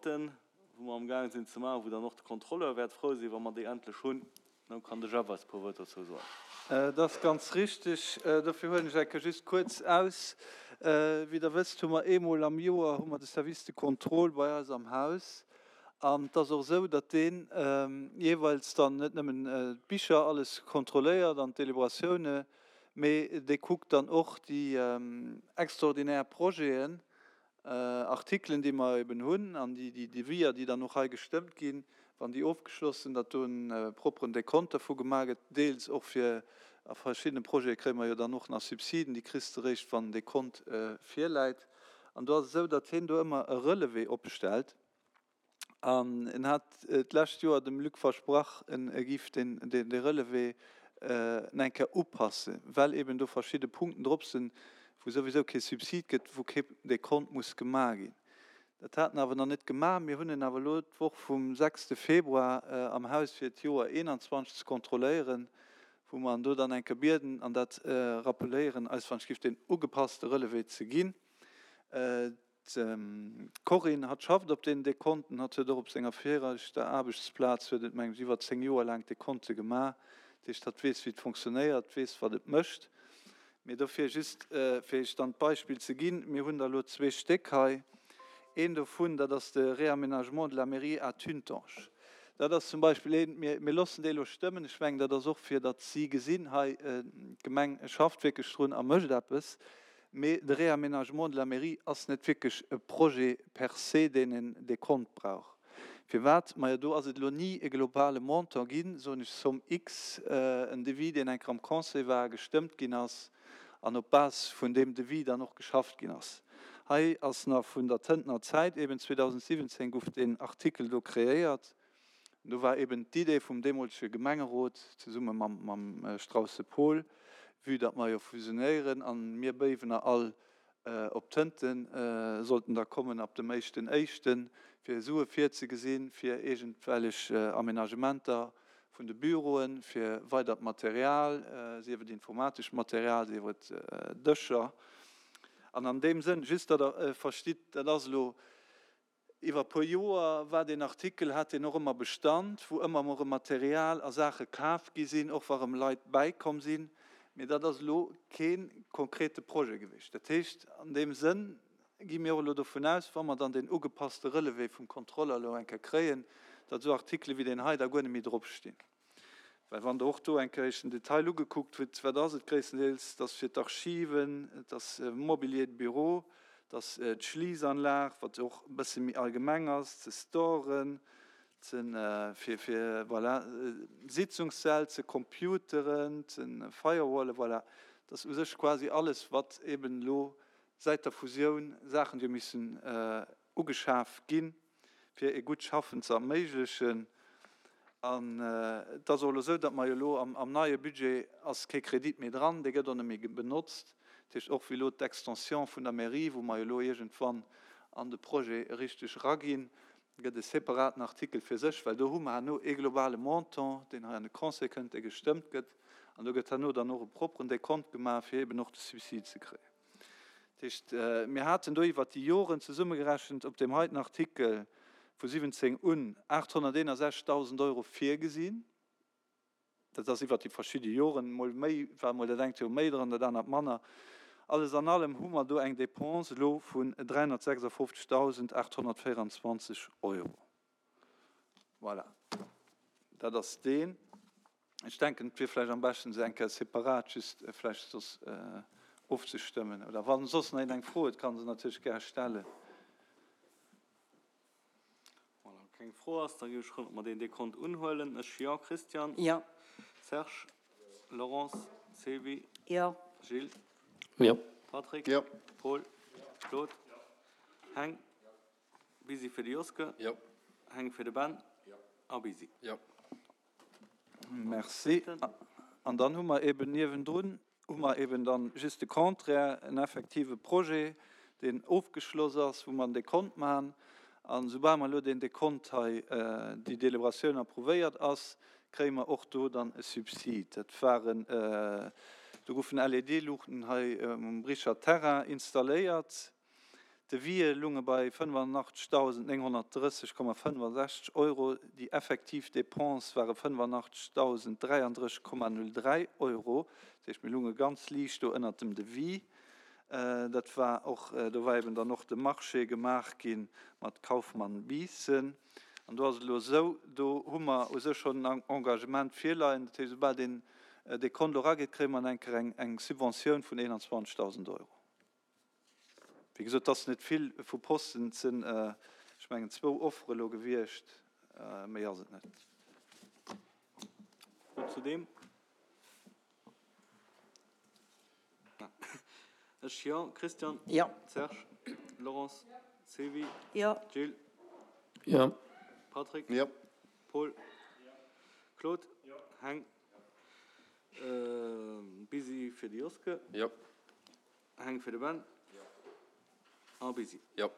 Wou mer am gaang sinn ze maachen, wou dann och de Contrôleur wäert frou sinn, wa mer déi endlech hunn. Dann kann de Jeff eis e puer Wuert dozou soen. Dat ass ganz richtig. Dofir huelen ech eng Kéier just kuerz aus. Wéi Der wësst, hu mer eemol am Joer hu mer de Service de contrôle bei eis am Haus. An et ass och esou, datt deen jeeweils dann net nëmmen d'Bicher alles kontrolléiert an d'Deliberatioune, mee dee kuckt dann och déi extraordinär Projeten, Artikelen, déi mer eben hunn, an déi Deviser, déi dann och hei gestëmmt ginn, wann déi ofgeschloss sinn, datt do e propperen Dekont dervu gemaach gëtt, deels och fir a verschiddene Projete kréie mer jo dann och nach Subsiden, déi kriss de eréischt, wann den Dekont virläit. An do ass et esou, datt hien do ëmmer e Relevé opstellt. An en hat d'lescht Joer dem Luc versprach, en giff deen Relevé eng Kéier upassen, well eben do verschidde Punkten drop sinn, wou souwisou kee Subsid gëtt, wou kee Dekont muss gemaach ginn. Dat hat en awer nach net gemaach. Mir hunn en awer elo d'Woch vum sechste Februar am Haus fir d'Joer 21 ze kontrolléieren, wou mer en do dann eng Kéier bieden an dat rappeléieren, eis wann ech giff deen ugepasste Relevé ze ginn. D'Corinne, hatt schafft op deenen Dekonten, hatt huet och op senger viregter Aarbechtsplaz, huet et mengen ech iwwer 10 Joer laang d'Dekonte gemaach, dat heescht hatt weess wéi et fonctionnéiert, weess wat et mécht. Mee dofir just fir iech dann d'Beispill ze ginn, mir hunn der elo zwee Stéck hei, een dovun dat ass de Réaménagement de la mairie à Tuntange, dat ass zum Beispill een, mir mir loossen dee elo stëmmen, ech mengen dat ass och fir datt si gesinn, hei d'Gemeng schafft wierklech drun a mécht eppes. Mee de Réaménagement de la mairie ass net wierklech e Projet per se, deen en Dekont brauch. Firwat? Majo, do ass et elo ni e globale Montant ginn, soen ech, Somme X, en Devis, deen eng Kéier am Conseil war, gestëmmt ginn ass an op Base vun deem Devis dann och geschafft ginn ass. Hei ass nach vun der Tëntener Zäit, eben 2017 guff deen Artikel do kreéiert. Do war eben d'Idee vum deemolege Gemengerot zesumme mam Strausse Paul, vue datt mer jo fusionéieren an mir Béiwener all op Tënten sollten da kommen ab dem éischten éischten, fir Sue virzegesinn, fir iergendwellech Aménagementer vun de Büroen, fir weidert Material, sief et informatescht Material, sief et Dëscher. An an deem Sënn, just datt Der verstitt, dat ass elo Iwwer e puer Joer war deen Artikel, hat deen och ëmmer Bestand, wou ëmmer emol erëm Material a Saache kaf gi sinn, och wa erëm Leit bäikomm sinn. Mee dat ass elo kee konkrete Projet gewiescht. Dat heescht, an deem Sënn gi mir och elo dovun aus, wa mer dann deen ugepasste Relevé vum Contrôleur elo eng Kéier kréien, datt esou Artikele wéi deen hei da guer net méi dropstinn. Well wann Der och do eng Kéier Iech den Detail ugekuckt hutt, wat ass et gréisstendeels? Et ass fir d'Archiven, et ass Mobilier de bureau, et ass d'Schliissanlag, wat och e bësse méi allgemeng ass, ze storen, ze fir, fir, voilà, Sitzungssäll, ze Computeren, ze Firewallen, voilà. Et ass u sech quasi alles, wat eeben elo säit der Fusioun Saachen, déi hu missen ugeschaf ginn, fir e gutt Schaffen ze erméiglechen. An et ass och elo esou, datt mer jo elo am neie Budget ass kee Kredit méi dran, dee gëtt och net méi benotzt. Dat heescht, och wéi elo d'Extension vun der Mairie, wou mer jo elo iergendwann an de Projet richteg eraginn, gëtt e separaten Artikel fir sech, well do hu mer herno ee globale Montant, deen hei an de Conseil kënnt, dee gestëmmt gëtt. An do gëtt herno dann och e propperen Dekont gemaach, fir eeben och de Subsid ze kréien. Dat heescht, mir haten do iwwert déi Joren zesummegerechent op deem heiten Artikel vu 17 un 861.000 Euro virgesinn. Dat ass iwwert déi verschidde Joren, mol méi war mol dat engt Joer méi dran, dat anert manner. Alles an allem hu mer do eng Dépense elo vun 356.824 Euro. Voilà, dat ass deen. Ech denken, et wier vläicht am beschten, se eng Kéier separat just vläicht soss ofzestëmmen. Oder wann soss nach een eng Fro huet, kann se natierlech gär stellen. Voilà, wann keng Fro ass, da géif ech froen, ob mer deen Dekont unhuelen. Ech, jo. Christian? Jo. Serge? Laurence? Sylvie? Jo. Gilles? Jo. Patrick? Jo. Paul? Claude? Heng? Busy fir de Joske. Jo. Heng fir de Ben. Jo. A Busy. Jo. Merci. An dann hu mer eben niewendrun hu mer eben dann just de Contraire, en effektive Projet, deen ofgeschloss ass, wou mer en Dekont maachen. A soubal mer elo deen Dekont hei, déi Délibératioun approuvéiert ass, kréie mer och do dann e Subsid. Dat waren, do goufen LED-Luuchten hei um Bricher Terrain installéiert. D'Devisë lounge bei 85.930,65 Euro, déi effektiv Dépense ware 85.033,03 Euro. Dat heescht, mir lounge ganz liicht do ënnert dem Devis. Dat war och, do war eben dann och de Marché gemaach gi mat Kaufmann Biissen. An do ass et elo esou, do hu mer u sech schonn en Engagement virleien. Dat heescht, esoubal deen Dekont elo erageet, kréie mer eng Kéier eng Subventioun vun 21.000 Euro. Wéi gesot, et ass net vill vu Posten, et sinn, ech mengen, zwou Offere elo gewiescht, méi ass et net. Fro zu deem? Ech jo. Christian? Jo. Serge? Laurence? Sylvie? Jo. Gilles? Jo. Patrick? Jo. Paul? Claude? Heng? Busy fir de Joske? Jo. Heng fir de Ben? Jo. A Busy? Jo.